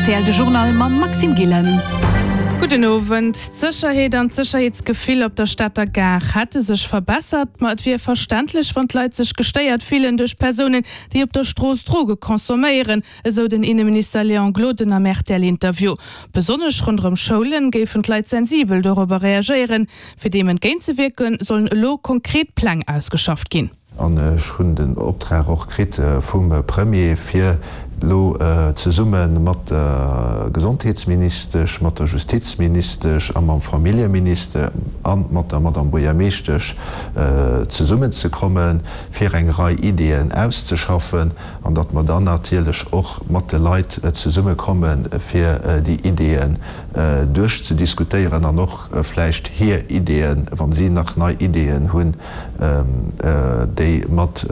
Rtl de Journal mam Maxime Gillen. Gudden Owend. D'Sécherheet an d'Sécherheetsgefill op der Stater Gare hätte sech verbessert, ma et wier verständlech, wann d'Leit sech gestéiert fillen duerch Persounen, déi op der Strooss Droge consomméieren, esou den Inneminister Léon Gloden am RTL-Interview. Besonnesch ronderëm Schoulen géifen d'Leit sensibel dorobber reagéieren. Fir deem entgéintzewierken, sollen elo konkret Pläng ausgeschafft ginn. An ech hunn den Optrag och kritt vum Premier, fir elo zesumme mat der Gesondheetsministesch, mat der Justizministesch a mam Familljeminister a mat der Madame Buergermeeschtesch zesummenzekommen, fir eng Rei Ideeën auszeschaffen, an datt mer dann natierlech och mat de Leit zesummekommen, fir déi Ideeën duerchzediskutéieren an och vläicht hir Ideeën, wa si nach nei Ideeën hunn, déi mat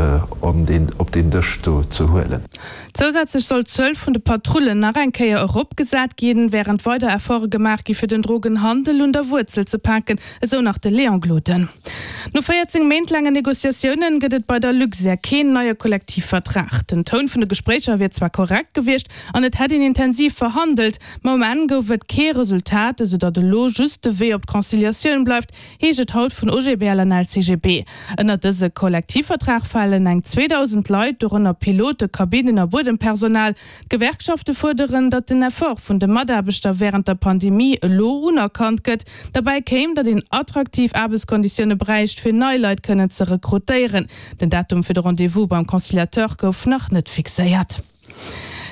op deen Dësch do ze huelen. Zousätzlech soll d'Zuel vun de Patrullen nach eng Kéier eropgesat ginn, wärend weider Efforte gemaach gi fir den Drogenhandel un der Wuerzel ze paken, esou nach de Léon Gloden. No 14 Méint laangen Negociatioune gëtt et bei der Luxair keen neie Kollektivvertrag. Den Toun vun de Gespréicher wier zwar korrekt gewiescht an et hätt een intensiv verhandelt, ma um Enn gouf et kee Resultat, esou datt elo just de Wee op d'Conciliatioun bleift, heescht et haut vun OGBL an LCGB. Ënnert dëse Kollektivvertrag falen eng 2.000 Leit, dorënner Pilote, Kabinnen a Buedempersonal. D'Gewerkschafte fuerderen, datt den Effort vun de Mataarbechter wärend der Pandemie elo unerkannt gëtt. Derbäi kéim, datt een attraktiv Aarbechtskonditioune bräicht, fir nei Leit kënnen ze rekrutéieren. Den Datum fir de Rendez-vous beim Conciliateur gouf nach net fixéiert.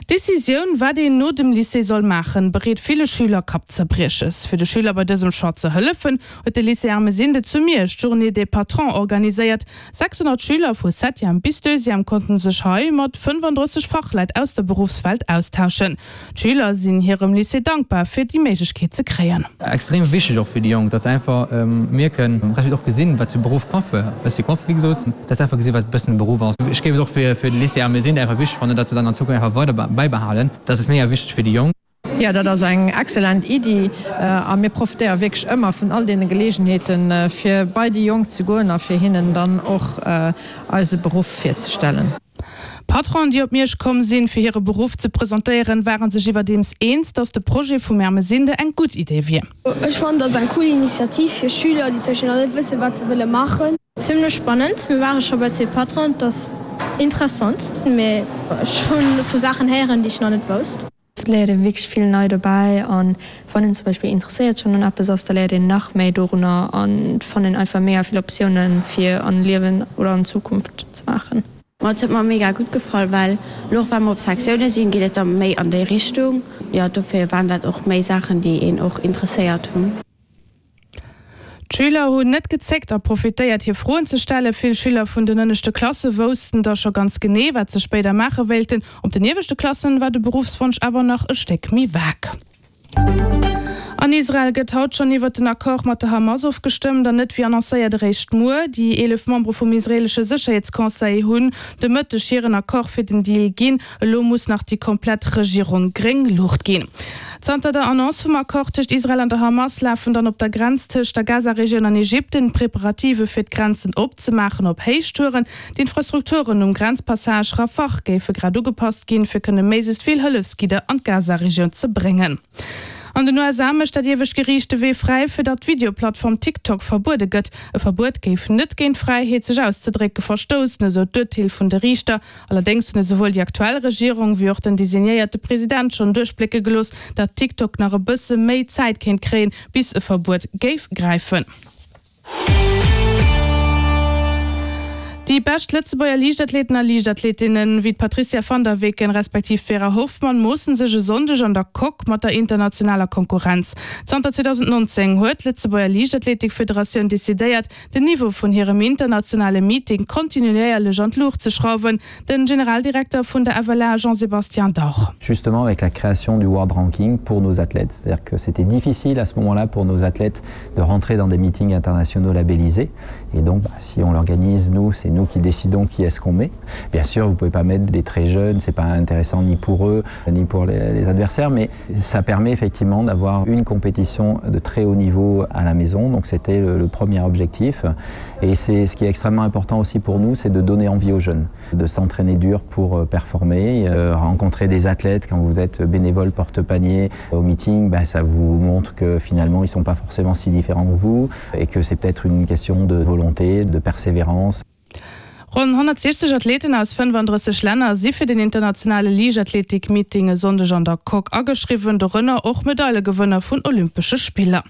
D'Decisioun, wat een no dem Lycée soll maachen, bereet ville Schüler Kappzerbrieches. Fir de Schüler bei dësem Choix ze hëllefen, huet de Lycée Ermesinde zu Miersch d'Journée des Patrons organiséiert. 600 Schüler vu Septième bis Deuxième konnten sech hei mat 35 Fachleit aus der Beruffswelt austauschen. D'Schüler sinn hirem Lycée dankbar, fir déi Méiglechkeet ze kréien. Extrem wichteg och fir déi Jonk, datt se einfach mierken, respektiv och gesinn, wat fir Beruff Coiffeur, ech si Coiffeur wéi gesot, datt se einfach gesinn, wat e bëssen e Beruff ass. Ech géif et och fir de Lycée Ermesinde einfach wichteg fannen, datt se dann an Zukunft einfach weider bäibehalen. Dat ass mega wichteg fir déi Jonk. Jo, dat ass eng excellent Iddi a mir profitéiere wierklech ëmmer vun all deene Geleegenheeten, fir bei déi Jonk ze goen a fir hinnen dann och eise Beruff virzestellen. D'Patronen, déi op Miersch komm sinn, fir hire Beruff ze presentéieren, ware sech iwwerdeems eens, datt de Projet vum Ermesinde eng gutt Idee wier. Ech fannen, dat ass eng cool Initiativ fir Schüler, déi zum Beispill nach net wëssen, wat se wëlle maachen. Zimlech spannend, mir ware scho bei zwee Patronen, et ass interessant, mee ech hu vu Saachen héieren, déi ech nach net wousst. Et léiert ee wierklech vill nei dobäi an wann een zum Beispill interesséiert schonn un eppes ass, da léiert een nach méi dorunner an et fannt een einfach mega vill Optiounen fir an Liewen oder an Zukunft ze maachen. Ma et huet mer mega gutt gefall, well lo och wa mer op Sektioune sinn, geet et da méi an déi Richtung. Jo, dofir waren dat och méi Saachen, déi een och interesséiert hunn. D'Schüler hunn net gezéckt a profitéiert hir Froen ze stellen. Vill Schüler vun den ënneschte Klasse woussten da scho ganz genee, wat se spéider maache wéilten. Op den ieweschte Klassen war de Beruffswonsch awer nach e Stéck méi vag. An Israel gëtt haut schonn iwwert den Accord mat der Hamas ofgestëmmt, an net wéi annoncéiert eréischt muer. Déi 11 Membere vum israeelesche Sécherheetsconseil hunn de Mëtteg hiren Accord fir den Deal ginn. Elo muss nach déi komplett Regierung gréng Luucht ginn. Zanter der Annonce vum Accord tëscht Israel an der Hamas lafen dann op der Grenz tëscht der Gaza-Regioun an Ägypten d'Preparative fir d'Grenzen opzemaachen op Héichtouren. D'Infrastrukturen um Grenzpassage Rafah géife grad ugepasst ginn, fir kënne méiglechst vill Hëllefsgidder an d'Gaza-Regioun ze bréngen. An den USA mécht dat iewescht Geriicht de Wee fräi, fir datt d'Videoplattform TikTok verbuede gëtt. E Verbuet géif net géint d'Fräiheet, sech auszedrécke verstoussen, esou d'Urteel vun de Riichter. Allerdéngs hunn esouwuel déi aktuell Regierung wéi och den designéierte President schonn duerchblécke gelooss, datt TikTok nach e bësse méi Zäit kéint kréien, bis e Verbuet géif gräifen. Déi bescht Lëtzebuerger Liichtathleten a Liichtathletinnen, wéi d'Patrizia van der Weken respektiv d'Vera Hoffmann, moosse sech e Sonndeg an der Coque mat der internationaler Konkurrenz. Zanter 2019 huet d'Lëtzebuerger Liichtathletikfederatioun decidéiert, den Niveau vun hirem internationale Meeting kontinuéierlech an d'Luucht ze schrauwen. Den Generaldirekter vun der FLA Jean-Sébastien Dauch. Justement avec la création du World Ranking pour nos athlètes, c'est-à-dire que c'était difficile à ce moment-là pour nos athlètes de rentrer dans des meetings internationaux labellisés et donc bah, si on l'organise nous, c'est nous. nous qui décidons qui est-ce qu'on met. Bien sûr, vous pouvez pas mettre des très jeunes, c'est pas intéressant ni pour eux ni pour les, les adversaires, mais ça permet effectivement d'avoir une compétition de très haut niveau à la maison. Donc c'était le, le premier objectif. Et c'est ce qui est extrêmement important aussi pour nous, c'est de donner envie aux jeunes, de s'entraîner dur pour euh, performer, euh, rencontrer des athlètes quand vous êtes bénévole porte-panier au meeting, ben, ça vous montre que finalement ils sont pas forcément si différents que vous et que c'est peut-être une question de volonté, de persévérance. Ronn 160 Athleten aus 35 Länner si fir den internationale Liichtathletik-Meeting e Sonndeg an der Coque ageschriwwen, dorënner och Medailegewënner vun Olympesche Spiller.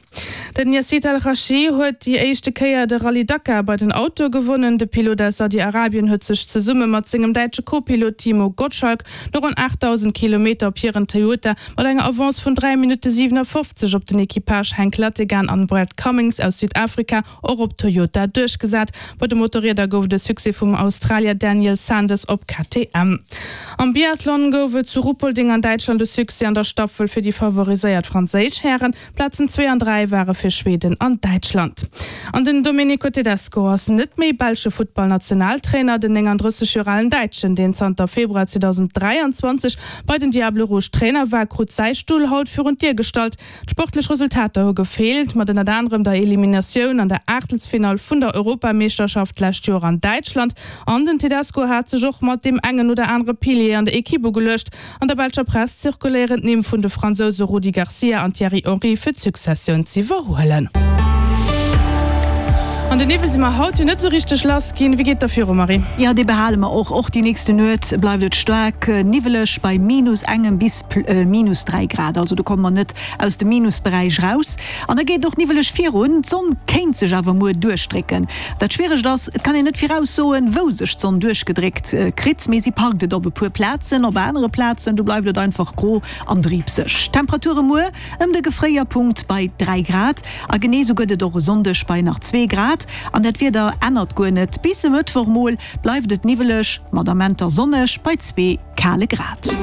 Den Yazeed Al Rajhi huet déi éischte Kéier de Rallye Dakar bei den Autoe gewonnen. De Pilot aus Saudi-Arabien huet sech zesumme mat sengem däitsche Co-Pilot Timo Gottschalk no ronn 8.000 Kilometer op hiren Toyota mat enger Avance vun 3 Minutte 57 op den Equipage Henk Lategan an Brad Cummings aus Südafrika och op Toyota duerchgesat. Bei de Motorrieder gouf et e Succès vum Australier Daniel Sanders op KTM. Am Biathlon gouf et zu Ruhpolding an Däitschland e Succès an der Staffel fir déi favoriséiert franséisch Hären. Plazen 2 an 3 ware fir Schweden an Däitschland. An den Domenico Tedesco ass net méi belsche Futtballnationaltrainer. Den 39 Joer alen Däitschen, deen zanter Februar 2023 bei den Diables Rouges Trainer war, krut säi Stull haut virun d'Dier gestallt. D'sportlech Resultater hu gefeelt, mat ënnert anerem der Eliminatioun an der Aachtelsfinall vun der Europameeschterschaft d'lescht Joer an Däitschland. An den Tedesco hat sech och mat deem engen oder anere Pilier an der Ekipp ugeluecht. An der belscher Press zirkuléieren d'Nimm vun de Fransouse Rudi Garcia an Thierry Henry fir d'Successioun z'iwwerhuelen. An den Niwwel si mer haut jo net esou richteg lass ginn. Wéi geet et da viru, Marie? Jo, dee behale mer och. Och déi nächste Nuet bleift et staark niwweleg bei minus engem bis minus 3 Grad. Also do komme mer net aus dem Minusberäich raus. An da geet et och niwweleg virun. D'Sonn kéint sech awer muer duerchdrécken. Dat Schwieregt ass, et kann een net viraussoen, wou sech d'Sonn duerchgedréckt kritt, mee si parkt et op e puer Plazen. Op anere Plazen, do bleift et einfach gro an driibseg. Temperature muer ëm de Gefréierpunkt bei 3 Grad a genee sou gëtt et och e Sonndeg bei nach 2 Grad. An dat Wieder ännert guer net, bis e Mëttwoch mol bleift et niwweleg, mat Amenter sonneg bei 2 kale Grad.